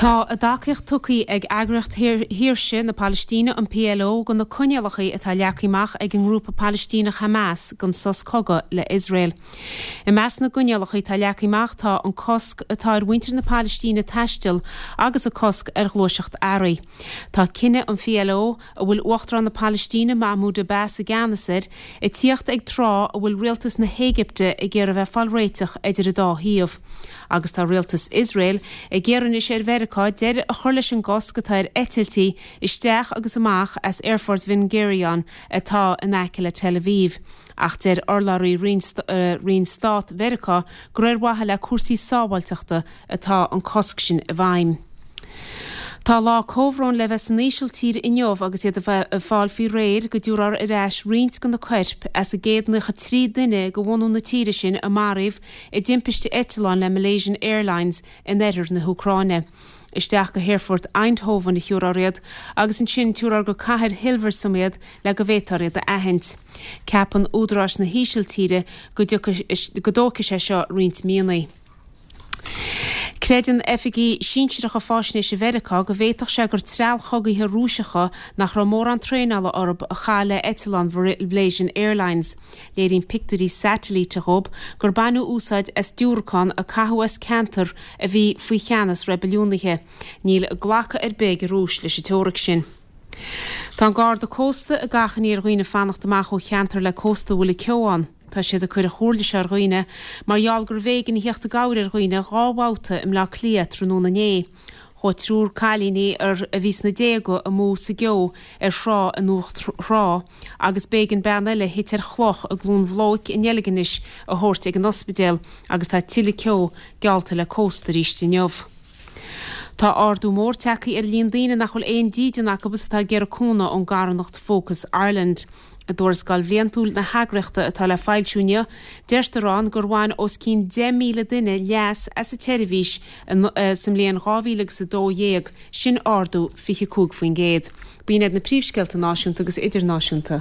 Tá a dtacaíocht tugtha ag Eagraíocht Shaoirse na Palaistíne, an PLO, do na coinníollacha atá leagtha amach ag an ngrúpa Palaistíneach Hamas don sos cogaidh le Iosrael. I measc na gcoinníollacha atá leagtha amach tá an cosc atá ar mhuintir na Palaistíne taisteal agus an cosc ar ghluaiseacht earraí. Tá cinneadh an PLO, a bhfuil Uachtarán na Palaistíne Mahmoud Abbas i gceannas air, ag tíocht ag tráth a bhfuil rialtas na hÉigipte ag iarraidh a bheith ag fáil réiteach idir an dá thaobh. Agus tá rialtas Iosrael ag iarraidh anois ar Mheiriceá deireadh a chur leis an gcosc atá ar eitiltí isteach agus amach as aerfort Ben Gurion atá in aice le Tel Aviv. Ach deir urlabhraí Roinn Stát Mheiriceá gur ar mhaithe le cúrsaí sábháilteachta atá an cosc sin i bhfeidhm. Tá lá comhbhróin le bheith san Ísiltír inniu agus iad ag fáil faoi réir go dtabharfar ar ais roinnt de na coirp as an gcéad 93 duine de bhunú na tíre sin a maraíodh i dtimpiste eitleáin le Malaysian Airlines in oirthear na hÚcráine. Isteach go haerfort Eindhoven a thiúrfar iad agus ansin tiúrfar go cathair Hilversum iad le go bhféadfar iad a aithint. Ceapann údaráis na hÍsiltíre go go dtógfaidh sé seo roinnt míonna. Creideann oifigigh sinsearacha fáisnéise Mheiriceá go bhféadfadh sé gur treallchogaithe Rúiseacha nach raibh mórán traenála orthu a chaith le eitleán Malaysian Airlines. Léiríonn pictiúirí satailíte dhóibh gur baineadh úsáid as diúracán a caitheadh as ceantar a bhí faoi cheannas reibiliúnaithe. Níl glacadh ar bith ag an Rúis leis an teoiric sin. Tá an Garda Cósta ag achainí ar dhaoine fanacht amach ó cheantar le cósta a bhfuil ceo ann. Tá siad ag cur an chomhairle seo ar dhaoine mar gheall gurbh éigean a theacht i gcabhair ar dhaoine 2 bhabhta i mBleá Cliath tráthnóna inné. Chuaigh triúr cailíní a bhí sna déaga amú sa gceo ar thrá in Uachtar Trá agus b'éigean bean eile a thit ar chloch i gCluain Bhloic i nDeilginis a thabhairt ag an ospidéal agus tá tuilleadh ceo geallta le cósta arís inniu. Tá ardú mór tagtha ar an líon daoine nach bhfuil aon dídean acu agus atá ag iarraidh cúnamh ón gcarthanacht Focus Ireland. I dtuarascáil bhliantúil na heagraíochta atá le foilsiú inniu, deirtear ann gur bhain os cionn 10,000 duine leas as an tseirbhís sa mbliain 2012, sin ardú 25%. B'in iad na príomhscéalta náisiúnta agus idirnáisiúnta.